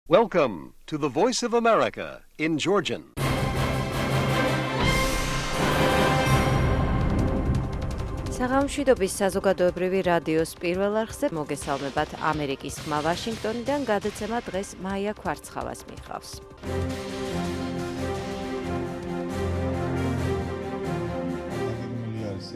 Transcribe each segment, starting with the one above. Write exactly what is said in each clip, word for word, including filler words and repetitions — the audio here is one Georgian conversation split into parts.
Welcome to the Voice of America in Georgian. საღამოშვიდობის საზოგადოებრივი რადიოს პირველ არხზე მოგესალმებათ ამერიკის ხმა ვაშინგტონიდან გადაცემა დღეს მაია ქვარცხავას მიყავს.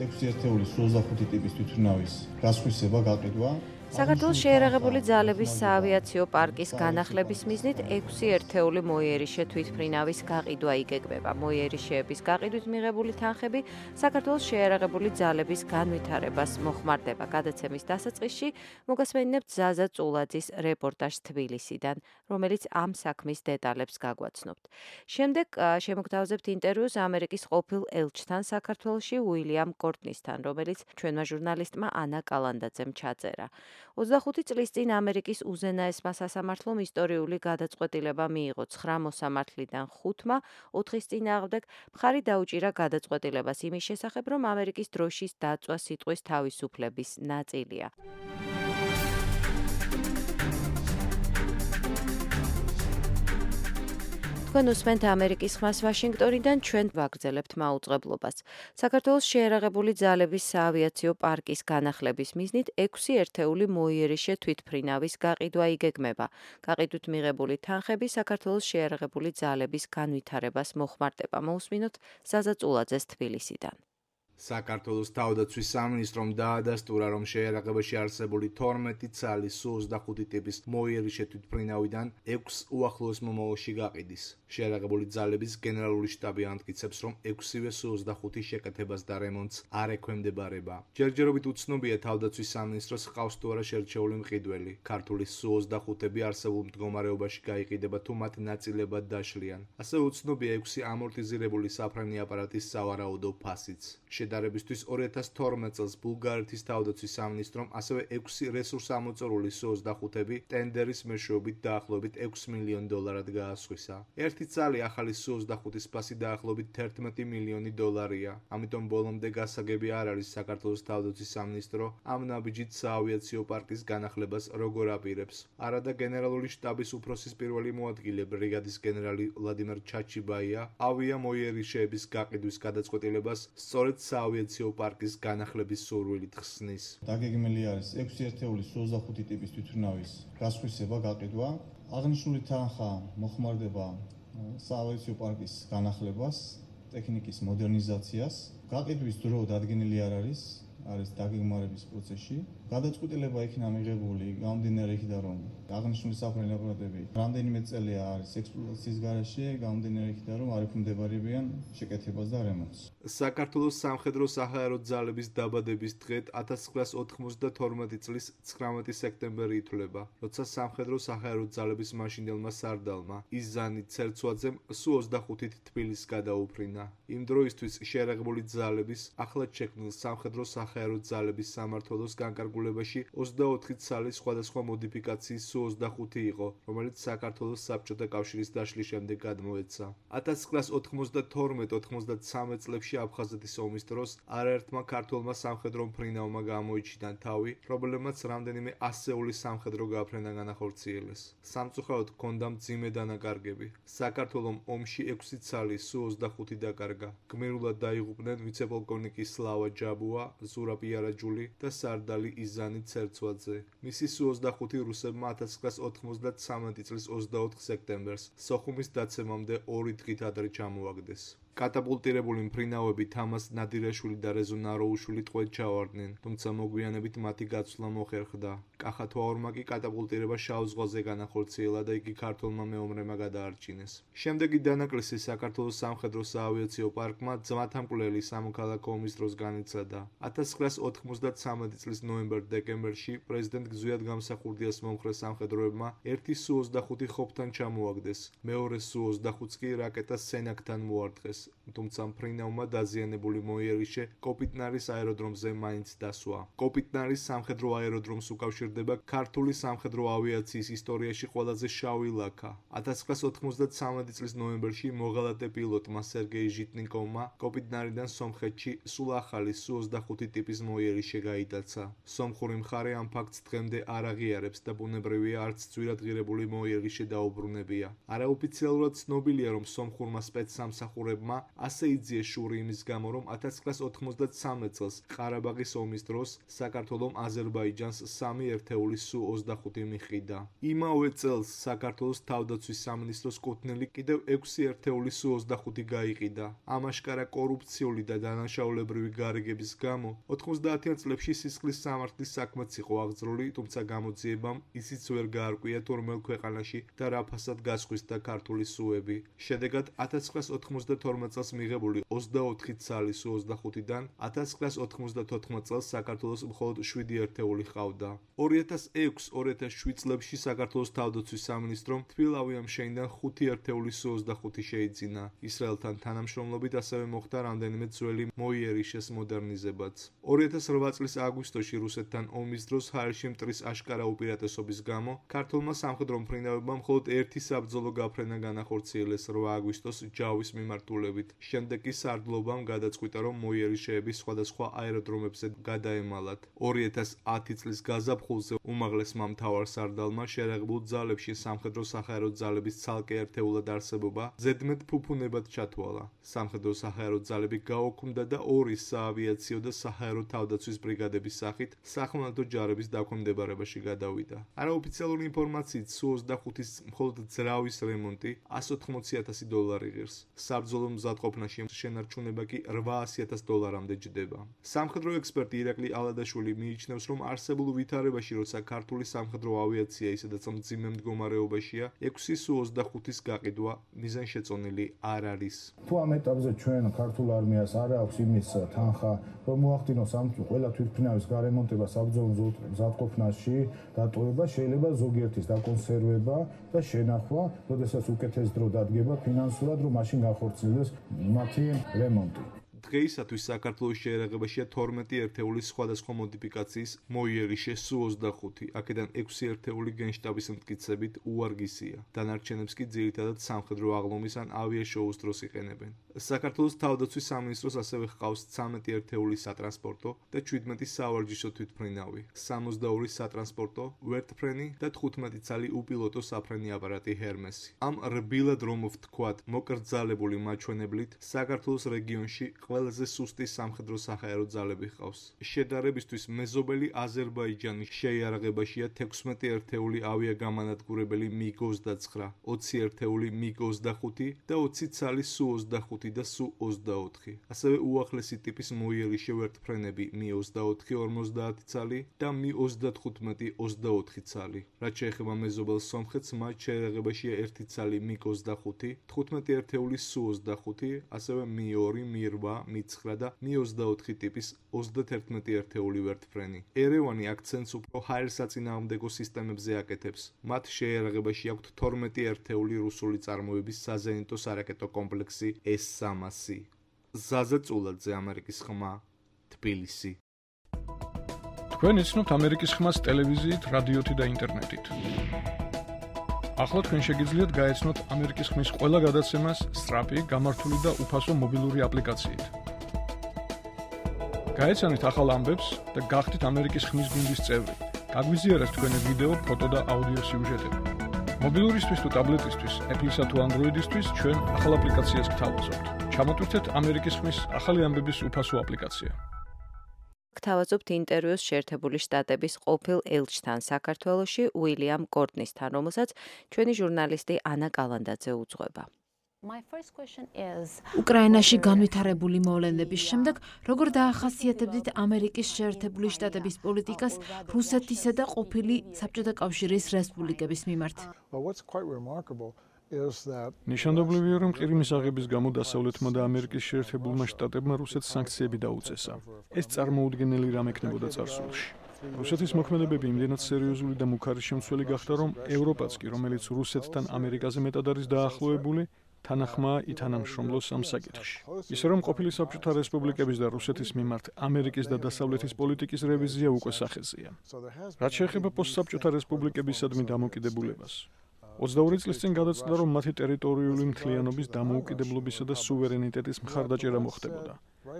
ექვსი ერთეული ოცდახუთი ტიპის თვითმფრინავის გასხვისება გაყიდვა საქართველოს შეიარაღებული ძალების საავიაციო პარკის განახლების მიზნით ექვსი ერთეული მოიერიშე თვითმფრინავის გაყიდვა იგეგმება. მოიერიშეების გაყიდვით მიღებული თანხები საქართველოს შეიარაღებული ძალების განვითარებას მოხმარდება. გადაცემის დასაწყისში მოგასმენინებთ ზაზა წულაძის რეპორტაჟს თბილისიდან, რომელიც ამ საქმის დეტალებს გაგვაცნობთ. შემდეგ შემოგთავაზებთ ინტერვიუს ამერიკის ყოფილ ელჩთან საქართველოში უილიამ კორტნისთან, რომელიც ჩვენმა ჟურნალისტმა ანა კალანდაძემ ჩაწერა. ოცდახუთი წლის წინ ამერიკის უზენაესმა სასამართლომ ისტორიული გადაწყვეტილება მიიღო ცხრა მოსამართლიდან ხუთმა, ოთხის წინააღმდეგ მხარი დაუჭირა გადაწყვეტილებას იმის შესახებ, რომ ამერიკის დროშის დაწვა სიტყვის თავისუფლების ნაწილია. თქვენ უსმენთ ამერიკის ხმას ვაშინგტონიდან, ჩვენ ვაგრძელებთ მაუწყებლობას. საქართველოს შეიარაღებული ძალების საავიაციო პარკის განახლების მიზნით ექვსი ერთეული მოიერიშე თვითმფრინავის გაყიდვა იგეგმება. გაყიდვით მიღებული თანხები საქართველოს შეიარაღებული ძალების განვითარებას მოხმარდება. მოусმინოთ ზაზა წულაძეს თბილისიდან. საქართველოს თავდაცვის სამინისტრომ დაადასტურა, რომ შეიარაღებაში არსებული თორმეტი ცალი სუ ოცდახუთი ტიპის მოიერიშე თვითმფრინავიდან ექვსს უახლოეს მომავალში გაყიდის. შეიარაღებული ძალების გენერალური შტაბი ამტკიცებს, რომ ექვსივე სუ ოცდახუთი შეკეთებას და რემონტს არ ექვემდებარება. ჯერჯერობით უცნობია თავდაცვის სამინისტროს ჰყავს თუ არა შერჩეული მყიდველი. ქართული სუ ოცდახუთები არსებულ მდგომარეობაში გაიყიდება თუ მათ ნაწილებად დაშლიან. ასევე უცნობია ექვსი ამორტიზირებული საფრენი აპარატის სავარაუდო ფასიც. შედარებისთვის ორი ათას თორმეტ წელს ბულგარეთის თავდაცვის სამინისტრომ ასევე ექვსი რესურსამოწორული სუ ოცდახუთები ტენდერის მეშვეობით დაახლოებით ექვს მილიონ დოლარად გაასხვისა. ერთი ცალი ახალი სუ ოცდახუთის ფასი დაახლოებით თერთმეტი მილიონი დოლარია. ამიტომ ბოლომდე გასაგები არ არის საქართველოს თავდაცვის სამინისტრო ამ ნაბიჯით საავიაციო პარკის განახლებას როგორ აპირებს. არადა გენერალური შტაბის უფროსის პირველი მოადგილე ბრიგადის გენერალი ვლადიმერ ჩაჩიბაია ავია მოიერიშეების გაყიდვის გადაწყვეტილებას სწორედ საავიაციო პარკის განახლების სურვილით ხსნის. დაგეგმილი არის ექვსი ერთეული სუ ოცდახუთი ტიპის თვითმფრინავის გასხვისება გაყიდვა. აღნიშნული თანხა მოხმარდება საავიაციო პარკის განახლებას, ტექნიკის მოდერნიზაციას. გაყიდვის დრო დადგენილი არ არის, არის დაგეგმარების პროცესში. გადაწყვეტილება იქნა მიღებული გამომდინარე იქიდან, რომ აღნიშნული საფრენი აპარატები რამდენიმე წელია არის ექსპლუატაციის გარეშე, გამომდინარე იქიდან, რომ არ ექვემდებარებიან შეკეთებას და რემონტს. საქართველოს სამხედრო საჰაერო ძალების დაბადების დღედ ათას ცხრაას ოთხმოცდათორმეტი წლის ცხრამეტი სექტემბერი ითვლება, როცა სამხედრო საჰაერო ძალების მაშინდელმა სარდალმა იზანი ცერცვაძემ სუ ოცდახუთით თბილისს გადაუფრინა. იმ დროისთვის შეიარაღებული ძალების ახლად შექმნილ სამხედრო საჰაერო ძალების სამმართველოს განკარგულებაში ოცდაოთხი ცალი სხვადასხვა მოდიფიკაციის სუ ოცდახუთი იყო, რომელიც საქართველოს საბჭოთა კავშირის დაშლის შემდეგ გადმოეცა. ათას ცხრაას ოთხმოცდათორმეტ ოთხმოცდათსამეტ წლებში აფხაზეთის ომის დროს არაერთმა ქართველმა სამხედრო მფრინავმა გამოიჩინა თავი, პრობლემაც რამდენიმე ასეული სამხედრო გაფრენა განახორციელეს. სამწუხაროდ ჰქონდა მძიმე დანაკარგები. საქართველომ ომში ექვსი ცალი სუ ოცდახუთი დაკარგა. გმირულად დაიღუპნენ ვიცე-პოლკოვნიკი სლავა ჯაბუა, ზურაბ იარაჯული და სარდალი იზანი ცერცვაძე. მისი სუ ოცდახუთი რუსებმა ათას ცხრაას ოთხმოცდათსამეტი წლის ოცდაოთხ სექტემბერს სოხუმის დაცემამდე ორი დღით ადრე ჩამოაგდეს. კატაპულტირებული მფრინავები თამაზ ნადირაშვილი და რეზო ნაროუშვილი ტყვედ ჩავარდნენ, თუმცა მოგვიანებით მათი გაცვლა მოხერხდა. კახა თვაურმა კი კატაპულტირება შავ ზღვაზე განახორციელა და იგი ქართველმა მეომრებმა გადაარჩინეს. შემდეგი დანაკლისი საქართველოს სამხედრო საავიაციო პარკმა ძმათამკვლელი სამოქალაქო ომის დროს განიცადა. ათას ცხრაას ოთხმოცდათსამეტი წლის ნოემბერ-დეკემბერში პრეზიდენტ გზუიად გამსახურდიას მომხრე სამხედროებმა ერთი სუ ოცდახუთი ხობთან ჩამოაგდეს, მეორე სუ ოცდახუთს კი რაკეტა სენაკთან მოარტყეს. თუმცა მფრინავმა დაზიანებული მოიერიშე კოპიტნარის აეროდრომზე მაინც დასვა. კოპიტნარის სამხედრო აეროდრომს უკავშირდება ქართული სამხედრო ავიაციის ისტორიაში ყველაზე შავი ლაქა. ათას ცხრაასი ოთხმოცდათსამეტი წლის ნოემბერში მოღალატე პილოტმა სერგეი ჟიტნიკოვმა კოპიტნარიდან სომხეთში სულ ახალი სუ ოცდახუთი ტიპის მოიერიშე გაიტაცა. სომხური მხარე ამ ფაქტს დღემდე არ აღიარებს და ბუნებრივია არც ძვირად ღირებული მოიერიშე დაუბრუნებია. არაოფიციალურად ცნობილია, რომ სომხურმა სპეცსამსახურებმა ასე იძიეს შური იმის გამო, რომ ათას ცხრაასი ოთხმოცდათსამეტ წელს ყარაბაღის ომის დროს საქართველომ აზერბაიჯანს სამი ერთეული სუ ოცდახუთი მიჰყიდა. იმავე წელს საქართველოს თავდაცვის სამინისტროს კუთვნილი კიდევ ექვსი ერთეული სუ ოცდახუთი გაიყიდა. ამ აშკარა კორუფციული და დანაშაულებრივი გარიგების გამო ოთხმოცდაათიან წლებში სისხლის სამართლის საქმეც იყო აღძრული, თუმცა გამოძიებამ ისიც ვერ გაარკვია თუ რომელ ქვეყანაში და რა ფასად გასხვისდა ქართული სუები. შედეგად ათას ცხრაასი ოთხმოცდათორმეტ წელს მიღებული ოცდაოთხი ცალი სუ ოცდახუთიდან ათას ცხრაასი ოთხმოცდათოთხმეტ წელს საქართველოს მხოლოდ შვიდი ერთეული ჰყავდა. ორი ათას ექვსი ორი ათას შვიდ წლებში საქართველოს თავდაცვის სამინისტრომ თბილავიამ შეინდან ხუთი ერთეული სუ ოცდახუთი შეიძინა. ისრაელთან თანამშრომლობით ასევე მოხდა რამდენიმე ძველი მოიერიშეს მოდერნიზებაც. ორი ათას რვა წლის აგვისტოში რუსეთთან ომის დროს ჰაერში მტრის აშკარა უპირატესობის გამო ქართულმა სამხედრო მფრინავებმა მხოლოდ ერთი საბრძოლო გაფრენა განახორციელეს რვა აგვისტოს ჯავის მიმართულებით. შემდეგ კი სარდლობამ გადაწყვიტა, რომ მოიერიშეები სხვადასხვა აეროდრომებზე გადაემალათ. ორი ათას ათი წლის გაზაფხულზე უმაღლესმა მთავარსარდალმა შერეღებულ ძალებში სამხედრო საჰაერო ძალების ცალკე ერთეულად არსებობა ზედმეტ ფუფუნებად ჩათვალა. სამხედრო საჰაერო ძალები გაოქმდა და ორი საავიაციო და საჰაერო თავდაცვის ბრიგადების სახით სახმელეთო ჯარების დაქვემდებარებაში გადავიდა. არაოფიციალური ინფორმაციით სუ ოცდახუთის მხოლოდ ძრავის რემონტი εκατს ოთხმოცი ათასი დოლარი ღირს. საბრძოლო მზადყოფნაში შენარჩუნება კი რვაასი ათას დოლარამდე ჯდება. სამხედრო ექსპერტი ირაკლი ალადაშვილი მიიჩნევს, რომ არსებულ ვითარებაში, როცა ქართული სამხედრო ავიაცია ისედაც მძიმე მდგომარეობაშია, ექვსი სუ ოცდახუთის გაყიდვა მიზანშეწონილი არ არის. თუ ამ ეტაპზე ჩვენ ქართულ არმიას არ აქვს იმის თანხა, რომ მოახდინოს ამ ყველა თვითმფრინავის გარემონტება საბრძოლო მზადყოფნაში, დატოვება, შეიძლება ზოგიერთის დაკონსერვება და შენახვა, როდესაც უკეთეს დრო დადგება ფინანსურად, რომ მაშინ განხორციელდეს მათი რემონტი. დღეისათვის საქართველოს შეერაღებაშია თორმეტი ერთეულის სხვადასხვა მოდიფიკაციის მოიერიშე სუ ოცდახუთი, აქედან ექვსი ერთეული გენშტაბის მტკიცებით უვარგისია. დანარჩენებს კი ძირითადად სამხედრო აღლომის ან ავიაშოუს დროს იყენებენ. საქართველოს თავდაცვის სამინისტროს ასევე ჰყავს ცამეტი ერთეული სატრანსპორტო და შვიდმეტი სავარჯიშო თვითმფრინავი, სამოცდაორი სატრანსპორტო ვერტფრენი და თხუთმეტი ცალი უპილოტო საფრენი აპარატი ჰერმესი. ამ რბილად რომ ვთქვათ, მოკრძალებული მაჩვენებლით საქართველოს რეგიონში ყველაზე სუსტი სამხედრო საჰაერო ძალები ჰყავს. შედარებისთვის მეზობელი აზერბაიჯანის შეიარაღებაშია თექვსმეტი ერთეული ავიაგამანადგურებელი მიგ ოცდაცხრა, ოცი ერთეული მიგ ოცდახუთი და ოცი ცალი სუ ოცდახუთი და სუ ოცდაოთხი. ასევე უახლესი ტიპის მოიერიშე ვერტფრენები მი ოცდაოთხი ორმოცდაათი ცალი და მი ოცდათხუთმეტი ოცდაოთხი ცალი. რაც შეეხება მეზობელ სომხეთს, მათ შეიარაღებაშია ერთი ცალი მიგ ოცდახუთი, თხუთმეტი ერთეული სუ ოცდახუთი, ასევე მი ორი, მი რვა, მი ცხრა და მი ოცდაოთხი ტიპის ოცდათერთმეტი ერთეული ვერტფრენი. ერევანი აქცენტს უფრო ჰაერსაწინააღმდეგო სისტემებზე აკეთებს. მათ შეიარაღებაში აქვთ თორმეტი ერთეული რუსული წარმოების საზენიტო სარაკეტო კომპლექსი ეს სამასი. ზაზა წულაძე, ამერიკის ხმა, თბილისი. თქვენ იცნობთ ამერიკის ხმას ტელევიზიით, რადიოთი და ინტერნეტით. ახლა თქვენ შეგიძლიათ გაეცნოთ ამერიკის ხმის ყველა გადაცემას სწრაფი, გამართული და უფასო მობილური აპლიკაციით. გაეცანით ახალ ამბებს და გახდით ამერიკის ხმის გუნდის წევრი. გაგვიზიარეთ თქვენი ვიდეო, ფოტო და აუდიო სიუჟეტები. მობილურისთვის თუ ტაბლეტისთვის, Apple-ისა თუ Android-ისთვის ჩვენ ახალ აპლიკაციას გთავაზობთ. ჩამოტვირთეთ ამერიკის ხმის ახალი ამბების უფასო აპლიკაცია. გთავაზობთ ინტერვიუს შეერთებული შტატების ყოფილ ელჩთან საქართველოში უილიამ კორტნისთან, რომელსაც ჩვენი ჟურნალისტი ანა კალანდაძე უძღვება. უკრაინაში განვითარებული მოვლენების შემდეგ, როგორ დაახასიათებდით ამერიკის შეერთებული შტატების პოლიტიკას რუსეთისა და ყოფილი საბჭოთა კავშირის რესპუბლიკების მიმართ? ნიშანდობლივია, რომ ყირიმის აღების გამო დასავლეთმა და ამერიკის შეერთებულმა შტატებმა რუსეთს სანქციები დაუწესა. ეს წარმოუდგენელი რამ ექნებოდა წარსულში. რუსეთის მოქმედებები იმდენად სერიოზული და მუქარი შემცველი გახდა, რომ ევროპაც კი, რომელიც რუსეთთან ამერიკაზე მეტად არის დაახლოებული, თანახმაა ითანამშრომლოს ამ საკითხში. ისე რომ ყოფილი საბჭოთა რესპუბლიკების და რუსეთის მიმართ ამერიკის და დასავლეთის პოლიტიკის რევიზია უკვე სახეზეა. რაც შეეხება პოსტსაბჭოთა რესპუბლიკებისადმი დამოუკიდებულებას, ოცდაორი წლის წინ გადაწყვიტა, რომ მათი ტერიტორიული მთლიანობის დამოუკიდებლობისა და სუვერენიტეტის მხარდაჭერა მოხდებოდა.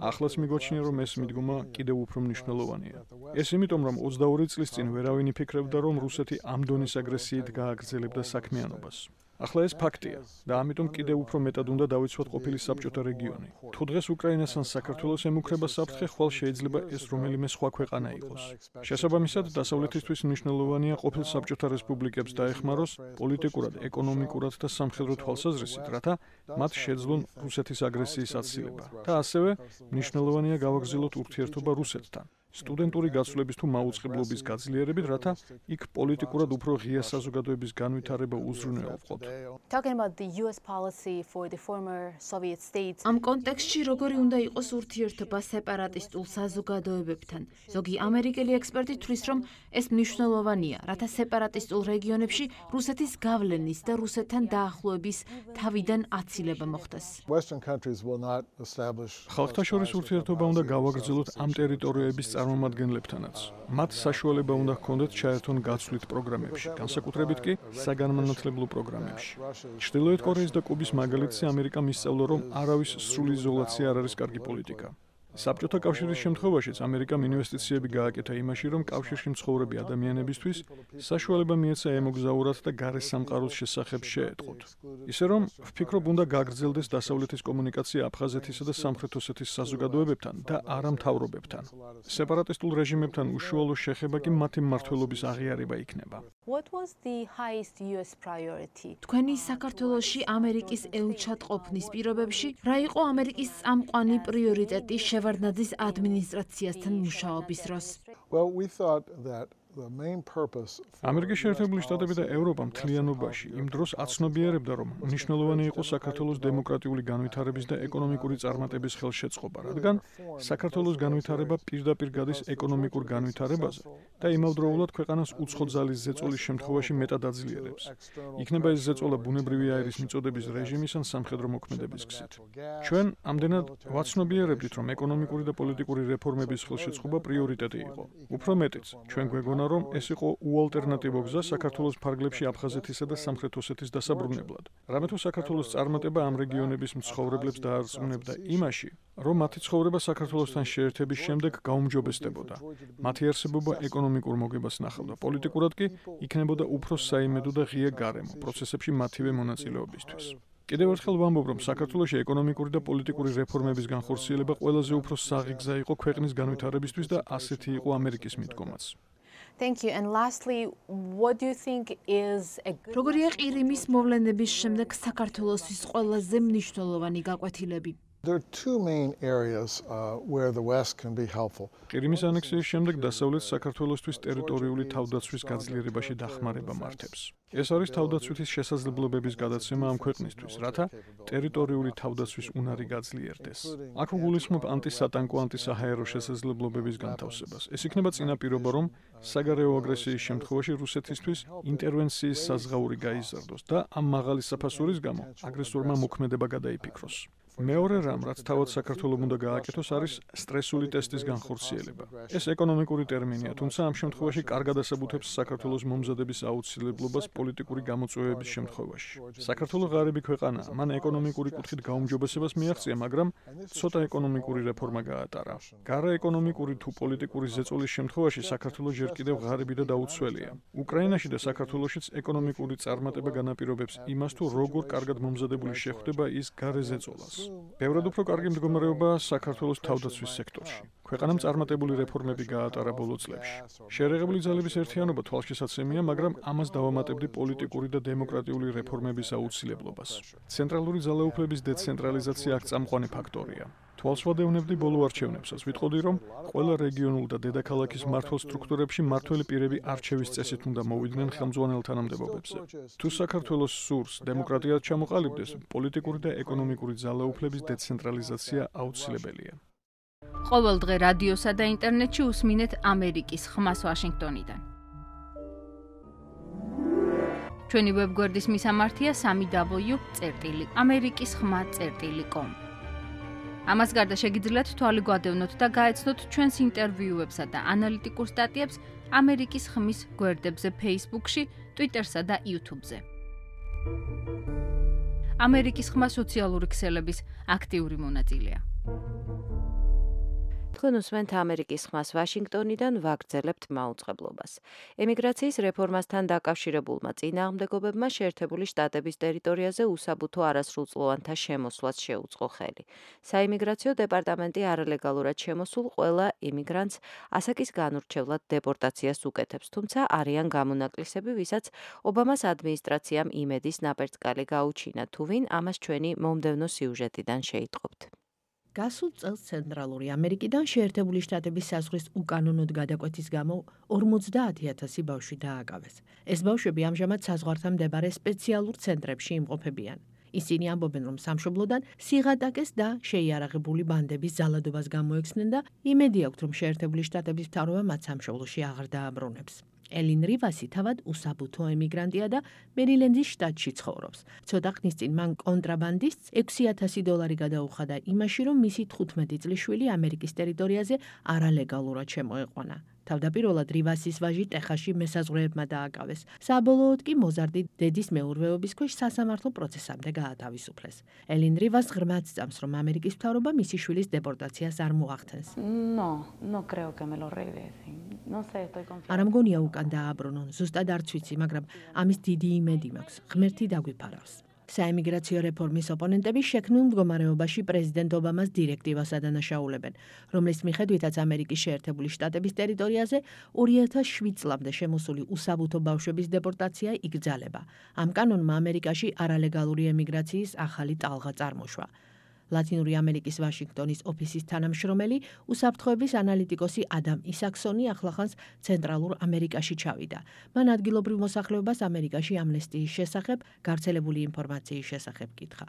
ახლაც მიგვაჩნია, რომ ეს მიდგომა კიდევ უფრო მნიშვნელოვანია. ეს იმიტომ, რომ ოცდაორი წლის წინ ვერავინ იფიქრებდა, რომ რუსეთი ამ დონის აგრესიით გააგრძელებდა საქმიანობას. ახლა ეს ფაქტია და ამიტომ კიდევ უფრო მეტად უნდა დავიცვათ ყოფილი საბჭოთა რეგიონი. თუ დღეს უკრაინას ან საქართველოს ემუქრება საფრთხე, ხვალ შეიძლება ეს რომელიმე სხვა ქვეყანა იყოს. შესაბამისად, დასავლეთისთვის მნიშვნელოვანია ყოფილ საბჭოთა რესპუბლიკებს დაეხმაროს პოლიტიკურად, ეკონომიკურად და სამხედრო თვალსაზრისით, რათა მათ შეძლონ რუსეთის აგრესიის აცილება. და ასევე მნიშვნელოვანია გავაგრძელოთ ურთიერთობა რუსეთთან. სტუდენტური გაცვლების თუ მაუწყებლობის გაძლიერებით, რათა იქ პოლიტიკურად უფრო ღია საზოგადოების განვითარება უზრუნველყოთ. ამ კონტექსტში როგორი უნდა იყოს ურთიერთობა სეპარატისტულ საზოგადოებებთან? ზოგი ამერიკელი ექსპერტი თვლის, რომ ეს მნიშვნელოვანია, რათა სეპარატისტულ რეგიონებში რუსეთის გავლენის და რუსეთთან დაახლოების თავიდან აცილება მოხდეს. ხალხთა შორის ურთიერთობა უნდა გავაგრძელოთ ამ ტერიტორიების წარმომადგენლებთანაც. მათ საშუალება უნდა ჰქონდეთ ჩაერთონ გაცვლით პროგრამებში, განსაკუთრებით კი საგანმანათლებლო პროგრამებში. ჩრდილოეთ კორეის და კუბის მაგალითზე ამერიკამ ისწავლა, რომ არავის სრული იზოლაცია არ არის კარგი პოლიტიკა. საბჭოთა კავშირის შემთხვევაშიც ამერიკამ ინვესტიციები გააკეთა იმაში, რომ კავშირში მცხოვრები ადამიანებისთვის საშუალება მიეცა ემოგზაურათ და გარე სამყაროს შესახებ შეეტყოთ. ისე რომ ვფიქრობ, უნდა გაგრძელდეს დასავლეთის კომუნიკაცია აფხაზეთისა და სამხრეთ ოსეთის საზოგადოებებთან და არა მთავრობებთან. სეპარატისტულ რეჟიმებთან უშუალო შეხება კი მათი მმართველობის აღიარება იქნება. თქვენი საქართველოში ამერიკის ელჩად ყოფნის პირობებში რა იყო ამერიკის წამყვანი პრიორიტეტი შევარდნაძის ადმინისტრაციასთან მუშაობის დროს? ამერიკის შეერთებული შტატები და ევროპა მთლიანობაში იმ დროს აცნობიერებდა, რომ მნიშვნელოვანი იყო საქართველოს დემოკრატიული განვითარების და ეკონომიკური წარმატების ხელშეწყობა, რადგან საქართველოს განვითარება პირდაპირ გადის ეკონომიკურ განვითარებაზე და იმავდროულად ქვეყანას უცხო ძალის ზეწოლის შემთხვევაში მეტად აძლიერებს. იქნება ეს ზეწოლა ბუნებრივი აირის მიწოდების რეჟიმის ან სამხედრო მოქმედების გზით. ჩვენ ამდენად ვაცნობიერებდით, რომ ეკონომიკური და პოლიტიკური რეფორმების ხელშეწყობა პრიორიტეტი იყო. უფრო მეტიც, ჩვენ გვეგონა რომ ეს იყო უალტერნატივო გზა საქართველოს ფარგლებში აფხაზეთისა და სამხრეთ ოსეთის დასაბრუნებლად. რამე თუ საქართველოს წარმატება ამ რეგიონების მცხოვრებლებს დაარწმუნებდა იმაში, რომ მათი ცხოვრება საქართველოსთან შეერთების შემდეგ გაუმჯობესდებოდა. მათი არსებობა ეკონომიკურ მოგებას ნახავდა, პოლიტიკურად კი იქნებოდა უფრო საიმედო და ღია გარემო პროცესებში მათივე მონაწილეობისთვის. კიდევ ერთხელ ვამბობ, რომ საქართველოში ეკონომიკური და პოლიტიკური რეფორმების განხორციელება ყველაზე უფრო საღი გზა იყო ქვეყნის განვითარებისთვის და ასეთი იყო ამერიკის მიდგომაც. Thank you. And lastly, what do you think is a როგორია ყირიმის მოვლენების შემდეგ საქართველოსთვის ყველაზე მნიშვნელოვანი გაკვეთილები? There are two main areas uh, where the West can be helpful. ყირიმის ანექსიის შემდეგ დასავლეთ საქართველოსთვის ტერიტორიული თავდაცვის გაძლიერებაში დახმარება მართებს. ეს არის თავდაცვითის შესაძლებლობების გადაცემა ამ ქვეყნისთვის, რათა ტერიტორიული თავდაცვის უნარი გაძლიერდეს. აქ გულისხმობ ანტისატანკო, ანტისაჰაერო შესაძლებლობების განთავსებას. ეს იქნება წინაპირობა, რომ საგარეო აგრესიის შემთხვევაში რუსეთისთვის ინტერვენციის საზღაური გაიზარდოს და ამ მაღალი საფასურის გამო აგრესორმა მოქმედება გადაიფიქროს. მეორე რამ, რაც თავად საქართველოს უნდა გააკეთოს, არის სტრესული ტესტის განხორციელება. ეს ეკონომიკური ტერმინია, თუმცა ამ შემთხვევაში კარგად ასაბუთებს საქართველოს მომზადების აუცილებლობას პოლიტიკური გამოწვევების შემთხვევაში. საქართველოს ღარიბი ქვეყანაა, მან ეკონომიკური კუთხით გაუმჯობესებას მიაღწია, მაგრამ ცოტა ეკონომიკური რეფორმა გაატარა. გარა ეკონომიკური თუ პოლიტიკური ზეწოლის შემთხვევაში საქართველოს ჯერ კიდევ ღარიბი და დაუცველია. უკრაინაში და საქართველოშიც ეკონომიკური წარმატება განაპირობებს იმას, თუ როგორ კარგად მომზადებული შეხვდება ის გარე ზეწოლას. ბევრად უფრო კარგი მდგომარეობაა საქართველოს თავდაცვის სექტორში. ქვეყანამ წარმატებული რეფორმები გაატარა ბოლო წლებში. შეერაღებული ძალების ერთიანობა თვალშესაცემია, მაგრამ ამას დავამატებდი პოლიტიკური და დემოკრატიული რეფორმების აუცილებლობას. ცენტრალური ძალაუფლების დეცენტრალიზაცია აქ წამყვანი ფაქტორია. თვალს ვადევნებდი ბოლო არჩევნებსაც. ვიტყოდი, რომ ყველა რეგიონულ და დედაქალაქის მმართველ სტრუქტურებში მმართველი პირები არჩევის წესით უნდა მოვიდნენ ხელმძღვანელ თანამდებობებზე. თუ საქართველოს სურს დემოკრატიად ჩამოყალიბდეს, პოლიტიკური და ეკონომიკური ძალაუფლების დეცენტრალიზაცია აუცილებელია. ყოველ დღე რადიოსა და ინტერნეტში უსმინეთ ამერიკის ხმას ვაშინგტონიდან. ჩვენი ვებგვერდის მისამართია სამი დაბლიუ წერტილი ამერიკის ხმა წერტილი კომ. ამას გარდა შეგიძლიათ თვალი გვადევნოთ და გაეცნოთ ჩვენს ინტერვიუებსა და ანალიტიკურ სტატიებს ამერიკის ხმის გვერდებზე Facebook-ში, Twitter-სა და YouTube-ზე. ამერიკის ხმა სოციალური ქსელების აქტიური მონაწილეა. თქვენ უსმენთ ამერიკის ხმას ვაშინგტონიდან, ვაგრძელებთ მაუწყებლობას. ემიგრაციის რეფორმასთან დაკავშირებულმა წინააღმდეგობებმა შეერთებული შტატების ტერიტორიაზე უსაბუთო არასრულწლოვანთა შემოსვლას შეუწყო ხელი. საიმიგრაციო დეპარტამენტი არალეგალურად შემოსულ ყველა იმიგრანტს ასაკის განურჩევლად დეპორტაციას უკეთებს, თუმცა არიან გამონაკლისები, ვისაც ობამას ადმინისტრაციამ იმედის ნაპერწკალი გაუჩინა, თუ ვინ ამას ჩვენი მომდევნო სიუჟეტიდან შეიტყობთ. გასულ წელს ცენტრალური ამერიკიდან შეერთებული შტატების საზღვრის უკანონოდ გადაკვეთის გამო ორმოცდაათი ათასი ბავშვი დააკავეს. ეს ბავშვები ამჟამად საზღვართან მდებარე სპეციალურ ცენტრებში იმყოფებიან. ისინი ამბობენ, რომ სამშობლოდან სიღატაკეს და შეიარაღებული ბანდების ზალადობას გამოექცნენ და იმედი აქვთ, რომ შეერთებული შტატების მთავრობა მათ სამშობლოში აღარ დააბრუნებს. ელინ რივასი თავად უსაბუთო ემიგრანტია და მერილენდის შტატში ცხოვრობს. ცოტა ხნის წინ მან კონტრაბანდისტს ექვსი ათასი დოლარი გადაუხადა იმაში, რომ მისი თხუთმეტი წლის შვილი ამერიკის ტერიტორიაზე არალეგალურად შემოეყვანა. თავდაპირველად რივასის ვაჟი ტეხასში მესაზღვრეებმა დააკავეს. საბოლოოდ კი მოზარდი დედის მეურვეობის ქვეშ სასამართლო პროცესამდე გაათავისუფლეს. ელინ რივას ღრმად სწამს, რომ ამერიკის მთავრობა მისი შვილის დეპორტაციას არ მოახდენს. არ მგონია უკან დააბრუნონ, ზუსტად არც ვიცი, მაგრამ ამის დიდი იმედი მაქვს. ღმერთი დაგვიფარავს. საემიგრაციო რეფორმის ოპონენტები შექმნილ მდგომარეობაში პრეზიდენტ ობამას დირექტივას ადანაშაულებენ, რომლის მიხედვითაც ამერიკის შეერთებული შტატების ტერიტორიაზე ორი ათას შვიდ წლამდე შემოსული უსაბუთო ბავშვების დეპორტაცია იგრძალება. ამ კანონმა ამერიკაში არალეგალური ემიგრაციის ახალი ტალღა წარმოშვა. ლათინური ამერიკის ვაშინგტონის ოფისის თანამშრომელი, უსაფრთხოების ანალიტიკოსი ადამ ისაქსონი ახლახანს ცენტრალურ ამერიკაში ჩავიდა. მან ადგილობრივ მოსახლეობას ამერიკაში ამნესტიის შესახებ, გავრცელებული ინფორმაციის შესახებ კითხა.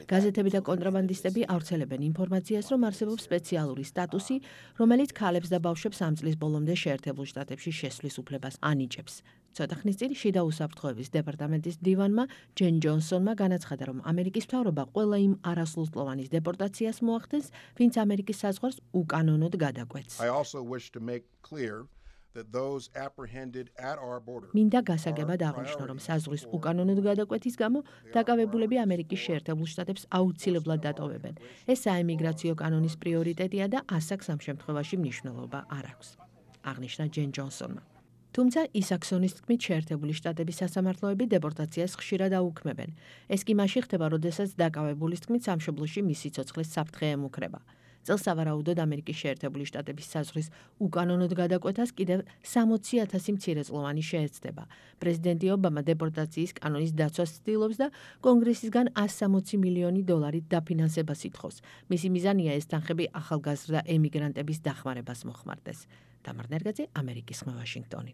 გაზეთები და კონტრაბანდისტები ავრცელებენ ინფორმაციას, რომ არსებობს სპეციალური სტატუსი, რომელიც ქალებს და ბავშვებს ამ წლის ბოლომდე შეერთებულ შტატებში შესვლის უფლებას ანიჭებს. ცოტა ხნის წინ შიდა უსაფრთხოების დეპარტამენტის მდივანმა ჯენ ჯონსონმა განაცხადა, რომ ამერიკის მთავრობა ყველა იმ არასრულწლოვანის დეპორტაციას მოახდენს, ვინც ამერიკის საზღვარს უკანონოდ გადაკვეთს. მინდა გასაგებად აღვნიშნო, რომ საზღვრის უკანონოდ გადაკვეთის გამო დაკავებულები ამერიკის შეერთებულ შტატებს აუცილებლად დატოვებენ. ეს საემიგრაციო კანონის პრიორიტეტია და ასაკს ამ შემთხვევაში მნიშვნელობა არ აქვს, აღნიშნა ჯენ ჯონსონმა. თუმცა ისაქსონის თქმით შეერთებული შტატების სასამართლოები დეპორტაციას ხშირად აუქმებენ. ეს კი მაშინ ხდება, როდესაც დაკავებულის თქმით სამშობლოში მისი ცოცხლის საფრთხე ემუქრება. წელს სავარაუდოდ ამერიკის შეერთებული შტატების საზღვრის უკანონოდ გადაკვეთას კიდევ სამოცი ათასი მცირეწლოვანი შეეცდება. პრეზიდენტი ობამა დეპორტაციის კანონის დაცვას ცდილობს და კონგრესისგან ასი სამოცი მილიონი დოლარით დაფინანსებას ითხოვს. მისი მიზანია ეს თანხები ახალგაზრდა ემიგრანტების დახმარებას მოხმარდეს. დამარ ნერგაძე, ამერიკის ხმა, ვაშინგტონი.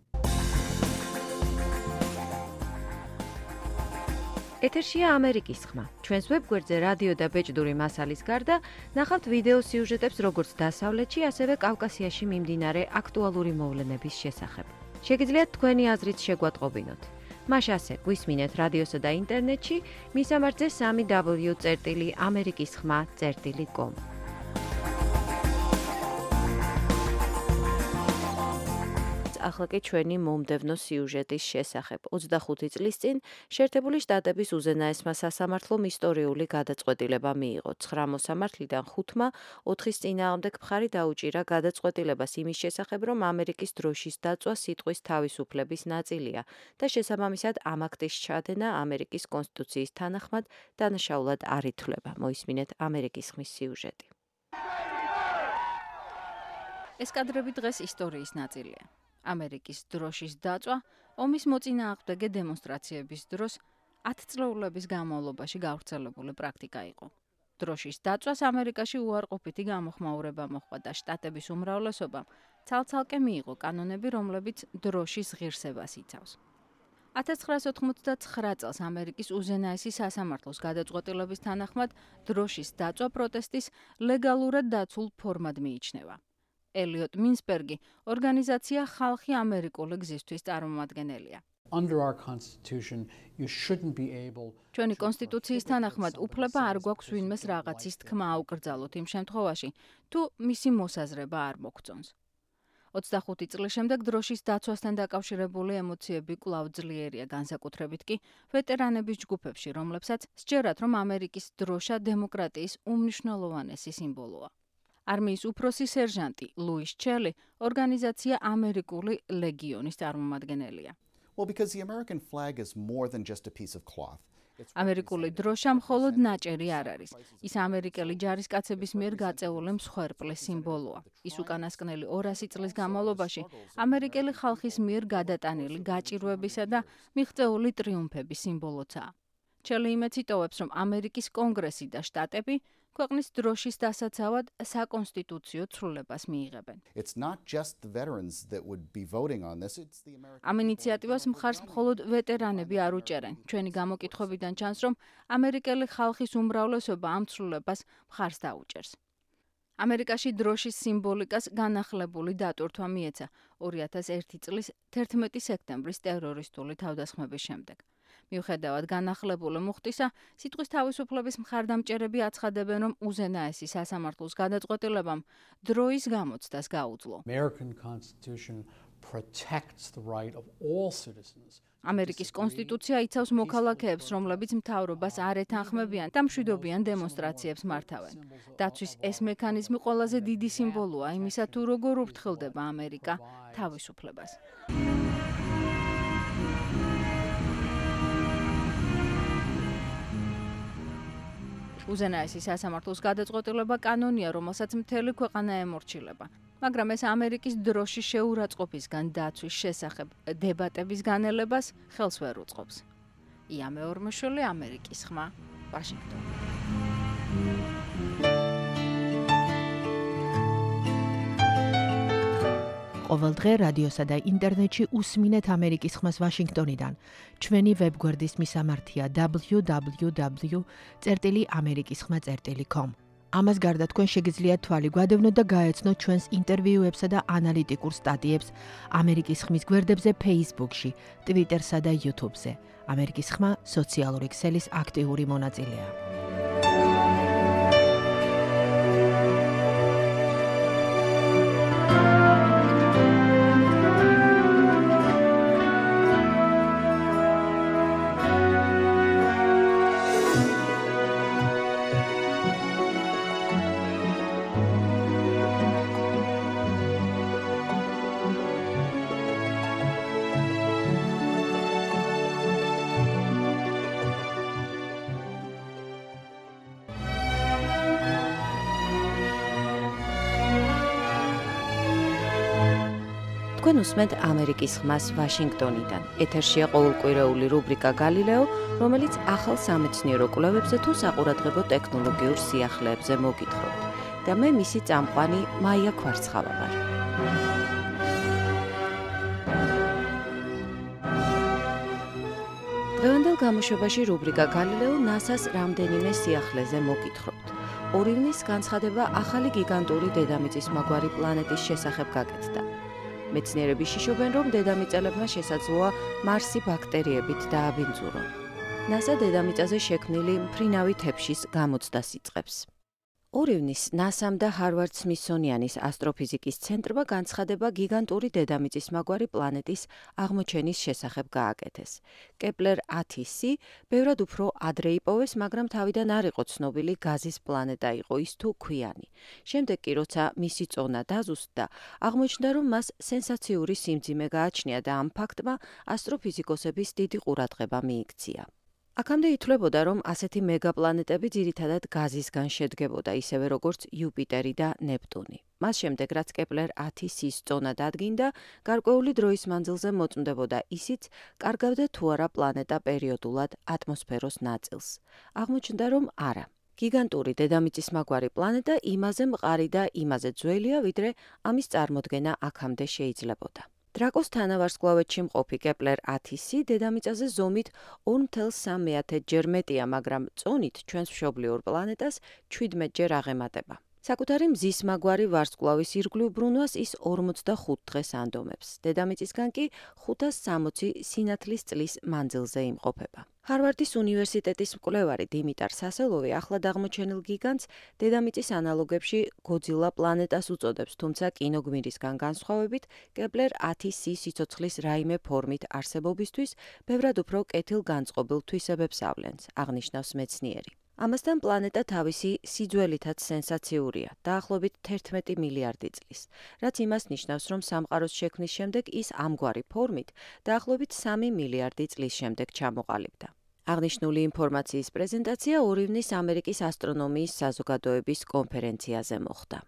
ეთერშია ამერიკის ხმა. ჩვენს ვებგვერდზე რადიო და ბეჭდური მასალის გარდა ნახავთ ვიდეო სიუჟეტებს როგორც დასავლეთში, ასევე კავკასიაში მიმდინარე აქტუალური მოვლენების შესახებ. შეგიძლიათ თქვენი აზრით შეგვატყობინოთ. მას ასე გვისმინეთ რადიოსა და ინტერნეტში, მისამართზე სამი დაბლიუ წერტილი ამერიკის ხმა წერტილი კომ. ახლა კი ჩვენი მომდევნო სიუჟეტის შესახებ. ოცდახუთი წლის წინ შეერთებული შტატების უზენაესმა სასამართლომ ისტორიული გადაწყვეტილება მიიღო. ცხრა მოსამართლიდან ხუთმა ოთხის წინააღმდეგ მხარი დაუჭირა გადაწყვეტილებას იმის შესახებ, რომ ამერიკის დროშის დაწვა სიტყვის თავისუფლების ნაწილია და შესაბამისად ამ აქტის ჩადენა ამერიკის კონსტიტუციის თანახმად დანაშაულად არ ითვლება. მოისმინეთ ამერიკის ხმის სიუჟეტი. ეს კადრები დღეს ისტორიის ნაწილია. ამერიკის დროშის დაწვა ომის მოწინააღმდეგე დემონსტრაციების დროს ათწლეულების განმავლობაში გავრცელებული პრაქტიკა იყო. დროშის დაწვას ამერიკაში უარყოფითი გამოხმაურება მოჰყვა და შტატების უმრავლესობამ ცალ-ცალკე მიიღო კანონები, რომლებიც დროშის ღირსებას იცავს. ათას ცხრაასი ოთხმოცდაცხრა წელს ამერიკის უზენაესი სასამართლოს გადაწყვეტილების თანახმად დროშის დაწვა პროტესტის ლეგალურად დაცულ ფორმად მიიჩნევა. ელიოტ მინსბერგი ორგანიზაცია ხალხი ამერიკული გზისთვის წარმომადგენელია. Under our constitution, you shouldn't be able ჩვენი კონსტიტუციის თანახმად უფლება არ გვაქვს ვინმეს რაღაცის თქმა აუკრძალოთ იმ შემთხვევაში, თუ მისი მოსაზრება არ მოგწონს. ოცდახუთი წლის შემდეგ დროშის დაცვასთან დაკავშირებული ემოციები კვლავ ძლიერია, განსაკუთრებით კი ვეტერანების ჯგუფებში, რომლებსაც სჯერათ, რომ ამერიკის დროშა დემოკრატიის უმნიშვნელოვანესი სიმბოლოა. არმიის უფროსი სერჟანტი ლუის ჩელი ორგანიზაცია ამერიკული ლეგიონის წარმომადგენელია. Well, because the American flag is more than just a piece of cloth. ამერიკული დროშა მხოლოდ ნაჭერი არ არის. ის ამერიკელი ჯარისკაცების მიერ გაწეული მსხვერპლის სიმბოლოა. ის უკანასკნელი ორასი წლის განმავლობაში ამერიკელი ხალხის მიერ გადატანილი გაჭირვებისა და მიღწეული ტრიუმფების სიმბოლოა. ჩელი იმეც იტოვებს, რომ ამერიკის კონგრესი და შტატები ქვეყნის დროშის დასაცავად საკონსტიტუციო ცვლილებას მიიღებენ. It's not just the veterans that would be voting on this, it's the American ამ ინიციატივას მხარს მხოლოდ ვეტერანები არ უჭერენ. ჩვენი გამოკითხვებიდან ჩანს, რომ ამერიკელი ხალხის უმრავლესობა ამ ცვლილებას მხარს დაუჭერს. ამერიკაში დროშის სიმბოლიკას განახლებული დატვირთვა მიეცა ორი ათას ერთი წლის თერთმეტი სექტემბრის ტერორისტული თავდასხმების შემდეგ. მიუხედავად განახლებული მუხტისა, სიტყვის თავისუფლების მხარდამჭერები აცხადებენ, რომ უზენაესი სასამართლოს გადაწყვეტილებამ დროის გამოცდას გაუძლო. American Constitution protects the right of all citizens. ამერიკის კონსტიტუცია იცავს მოქალაქეებს, რომლებიც მთავრობას არ ეთანხმებიან და მშვიდობიან დემონსტრაციებს მართავენ. დაცვის ეს მექანიზმი ყველაზე დიდი სიმბოლოა იმისა, თუ როგორ უფრთხილდება ამერიკა თავისუფლებას. უზენაესი სასამართლოს გადაწყვეტილება კანონია, რომელსაც მთელი ქვეყანა ემორჩილება. მაგრამ ეს ამერიკის დროშის შეურაცხყოფისგან დაცვის შესახებ დებატების განელებას ხელს ვერ უწყობს. ია მეორმოშვილი, ამერიკის ხმა, ვაშინგტონი. ყოველ დღე რადიოსა და ინტერნეტში უსმინეთ ამერიკის ხმას ვაშინგტონიდან. ჩვენი ვებგვერდის მისამართია დაბლიუ დაბლიუ დაბლიუ წერტილი ამერიკის ხმა წერტილი com. ამას გარდა თქვენ შეგიძლიათ თვალი გვადევნოთ და გაეცნოთ ჩვენს ინტერვიუებსა და ანალიტიკურ სტატიებს ამერიკის ხმის გვერდებზე Facebook-ში, Twitter-სა და YouTube-ზე. ამერიკის ხმა სოციალური ქსელის აქტიური მონაწილეა. თქვენ უსმენთ ამერიკის ხმას ვაშინგტონიდან. ეთერშია ყოველკვირეული რუბრიკა გალილეო, რომელიც ახალ სამეცნიერო კვლევებზე თუ საყურადღებო ტექნოლოგიურ სიახლეებზე მოგითხრობთ. და მე მისი წამყვანი მაია ქვარცხავა ვარ. დღევანდელ გამოშვებაში რუბრიკა გალილეო ნასას რამდენიმე სიახლეზე მოგითხრობთ. ორივნის განცხადება ახალი გიგანტური დედამიწის მაგვარი პლანეტის შესახებ გაკეთდა. მეცნიერები შიშობენ, რომ დედამიწელებმა შესაძლოა მარსი ბაქტერიებით დააბინძურონ. ნასა დედამიწაზე შექმნილი მფრინავი თეფშის გამოცდას იწყებს. ორივნის ნასამ და ჰარვარდ სმითსონიანის ასტროფიზიკის ცენტრმა განცხადება გიგანტური დედამიწის მაგვარი პლანეტის აღმოჩენის შესახებ გააკეთეს. კეპლერ ათი სი ბევრად უფრო ადრე იპოვეს, მაგრამ თავიდან არ იყო ცნობილი გაზის პლანეტა იყო ის თუ ქვიანი. შემდეგ კი როცა მისი წონა დაზუსტდა, აღმოჩნდა, რომ მას სენსაციური სიმძიმე გააჩნია და ამ ფაქტმა ასტროფიზიკოსების დიდი ყურადღება მიიქცია. აქამდე ითვლებოდა, რომ ასეთი მეგაპლანეტები ძირითადად გაზისგან შედგებოდა, ისევე როგორც იუპიტერი და ნეპტუნი. მას შემდეგ, რაც კეპლერ ათი სის წონა დადგინდა, გარკვეული დროის მანძილზე მოწმდებოდა ისიც, კარგავდა თუ არა პლანეტა პერიოდულად ატმოსფეროს ნაწილს. აღმოჩნდა, რომ არა. გიგანტური დედამიწის მაგვარი პლანეტა იმაზე მყარი და იმაზე ძველია, ვიდრე ამის წარმოდგენა აქამდე შეიძლებოდა. დრაკოს თანავარსკვლავედში მყოფი კეპლერ ათი სი დედამიწაზე ზომით ორი ნული სამი ჯერ მეტია, მაგრამ წონით ჩვენს მშობლიურ პლანეტას ჩვიდმეტ ჯერ აღემატება. საკუთარი მზის მაგვარი ვარსკვლავის ირგვლივ ბრუნვას ის ორმოცდახუთ დღეს ანდომებს. დედამიწისგან კი ხუთას სამოცი სინათლის წლის მანძილზე იმყოფება. ჰარვარდის უნივერსიტეტის მკვლევარი დიმიტარ სასელოვი ახლად აღმოჩენილ გიგანტს დედამიწის ანალოგებში გოძილა პლანეტას უწოდებს, თუმცა კინოგმირისგან განსხვავებით კეპლერ ათი სი სიცოცხლის რაიმე ფორმით არსებობისთვის ბევრად უფრო კეთილგანწყობილ თვისებებს ავლენს, აღნიშნავს მეცნიერი. ამასთან პლანეტა თავისი სიძველითაც სენსაციურია, დაახლოებით თერთმეტი მილიარდი წლის, რაც იმას ნიშნავს, რომ სამყაროს შექმნის შემდეგ ის ამგვარი ფორმით დაახლოებით სამი მილიარდი წლის შემდეგ ჩამოყალიბდა. აღნიშნული ინფორმაციის პრეზენტაცია ორივნის ამერიკის ასტრონომიის საზოგადოების კონფერენციაზე მოხდა.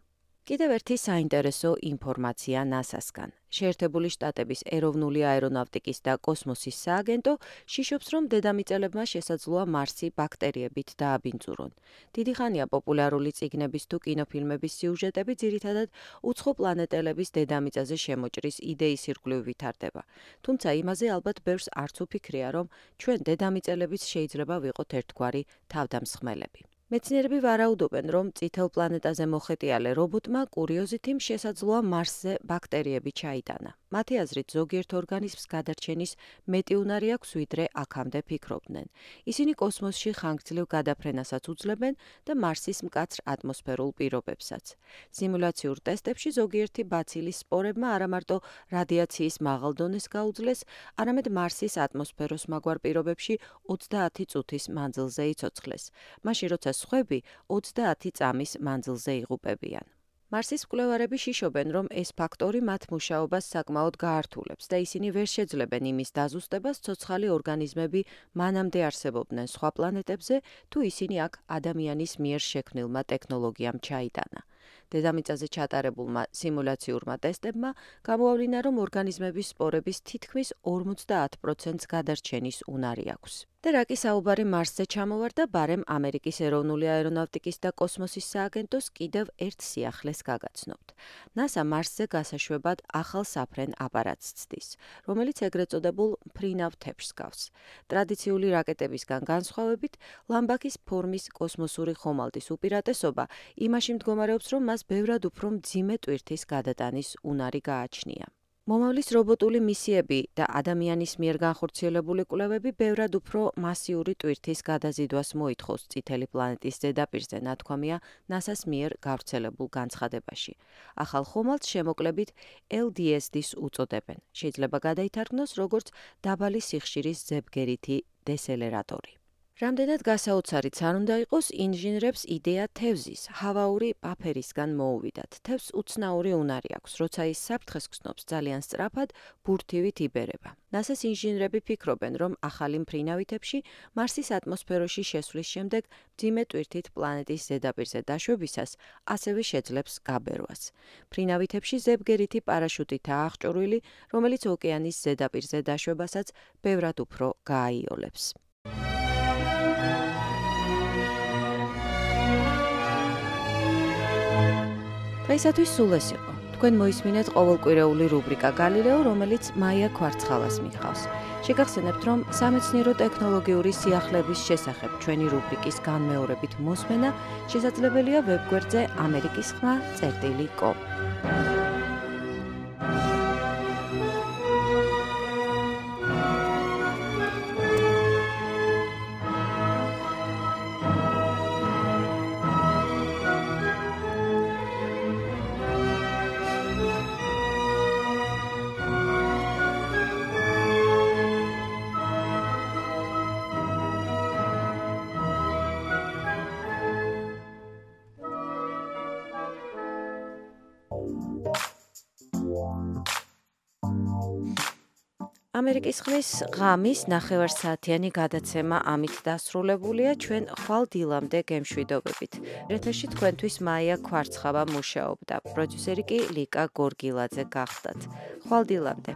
კიდევ ერთი საინტერესო ინფორმაცია ნასასგან. შეერთებული შტატების ეროვნული აერონავტიკის და კოსმოსის სააგენტო შიშობს, რომ დედამიწელებმა შესაძლოა მარსი ბაქტერიებით დააბინძურონ. დიდი ხანია პოპულარული წიგნების თუ კინოფილმების სიუჟეტები ძირითადად უცხო პლანეტელების დედამიწაზე შემოჭრის იდეის ირგვლივ ვითარდება. თუმცა იმაზე ალბათ ბევრს არც უფიქრია, რომ ჩვენ დედამიწელებიც შეიძლება ვიყოთ ერთგვარი თავდამსხმელები. მეცნიერები ვარაუდობენ, რომ წითელ პლანეტაზე მოხეტიალე რობოტმა კურიოზითიმ შესაძლოა მარსზე ბაქტერიები ჩაიტანა. მათი აზრით ზოგიერთ ორგანიზმს გადარჩენის მეტი უნარი აქვს, ვიდრე აქამდე ფიქრობდნენ. ისინი კოსმოსში ხანგრძლივ გადაფრენასაც უძლებენ და მარსის მკაცრ ატმოსფერულ პირობებსაც. სიმულაციურ ტესტებში ზოგიერთი ბაცილის სპორებმა არამარტო რადიაციის მაღალ დონეს გაუძლეს, არამედ მარსის ატმოსფეროს მაგვარ პირობებში ოცდაათი წუთის მანძილზე იცოცხლეს. მაშინ როცა სხვები ოცდაათი წამის მანძილზე იღუპებიან. მარსის მკვლევარები შიშობენ, რომ ეს ფაქტორი მათ მუშაობას საკმაოდ გაართულებს და ისინი ვერ შეძლებენ იმის დაზუსტებას, ცოცხალი ორგანიზმები მანამდე არსებობდნენ სხვა პლანეტებზე, თუ ისინი აქ ადამიანის მიერ შექმნილმა ტექნოლოგიამ ჩაიტანა. დედამიწაზე ჩატარებულმა სიმულაციურმა ტესტებმა გამოავლინა, რომ ორგანიზმების სპორების თითქმის ორმოცდაათ პროცენტს გადარჩენის უნარი აქვს. და რა კი საუბარი მარსზე ჩამოვარდა, ბარემ ამერიკის ეროვნული აერონავტიკის და კოსმოსის სააგენტოს კიდევ ერთ სიახლეს გაგაცნობთ. ნასა მარსზე გასაშვებად ახალ საფრენ აპარატს ცდის, რომელიც ეგრეთ წოდებულ მფრინავ თეფშს გავს. ტრადიციული რაკეტებისგან განსხვავებით, ლამბაქის ფორმის კოსმოსური ხომალდის უპირატესობა იმაში მდგომარეობს, რომ მას ბევრად უფრო მძიმე ტვირთის გადატანის უნარი გააჩნია. მომავლის რობოტული მისიები და ადამიანის მიერ განხორციელებული კვლევები ბევრად უფრო მასიური ტვირთის გადაზიდვას მოითხოვს წითელი პლანეტის ზედაპირზე, ნათქვამია ნასას მიერ გავრცელებულ განცხადებაში. ახალ ხომალდს შემოკლებით ელ დი ეს დის უწოდებენ. შეიძლება გადაითარგმნოს როგორც დაბალი სიხშირის ზებგერითი დესელერატორი. რამდენად გასაოცარიც არ უნდა იყოს, ინჟინრებს იდეა თევზის, ჰავაური პაფერისგან მოუვიდათ. თევზს უცნაური უნარი აქვს, როცა ის საფრთხეს გრძნობს, ძალიან სწრაფად ბურთივით იბერება. ნასას ინჟინრები ფიქრობენ, რომ ახალი მფრინავი თეფში მარსის ატმოსფეროში შესვლის შემდეგ მძიმე ტვირთით პლანეტის ზედაპირზე დაშვებისას ასევე შეძლებს გაბერვას. მფრინავი თეფში ზებგერითი პარაშუტითაა აღჭურვილი, რომელიც ოკეანის ზედაპირზე დაშვებასაც ბევრად უფრო გააიოლებს. დღეისათვის სულ ეს იყო. თქვენ მოისმინეთ ყოველკვირეული რუბრიკა გალილეო, რომელიც მაია ქვარცხალას მიჰყავს. შეგახსენებთ, რომ სამეცნიერო ტექნოლოგიური სიახლეების შესახებ ჩვენი რუბრიკის განმეორებით მოსმენა შესაძლებელია ვებგვერდზე ამერიკის ხმა წერტილი კომ. ამერიკის ხმის ღამის ნახევარსაათიანი გადაცემა ამით დასრულებულია. ჩვენ ხვალ დილამდე გემშვიდობებით. ეთერში თქვენთვის მაია ქვარცხავა მუშაობდა. პროდიუსერი კი ლიკა გორგილაძე გახდათ. ხვალ დილამდე.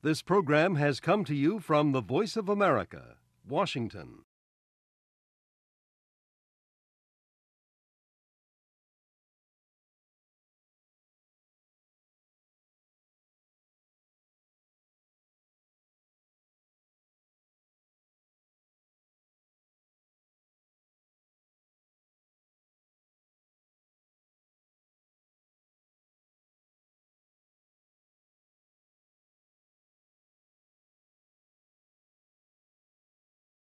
This program has come to you from the Voice of America, Washington.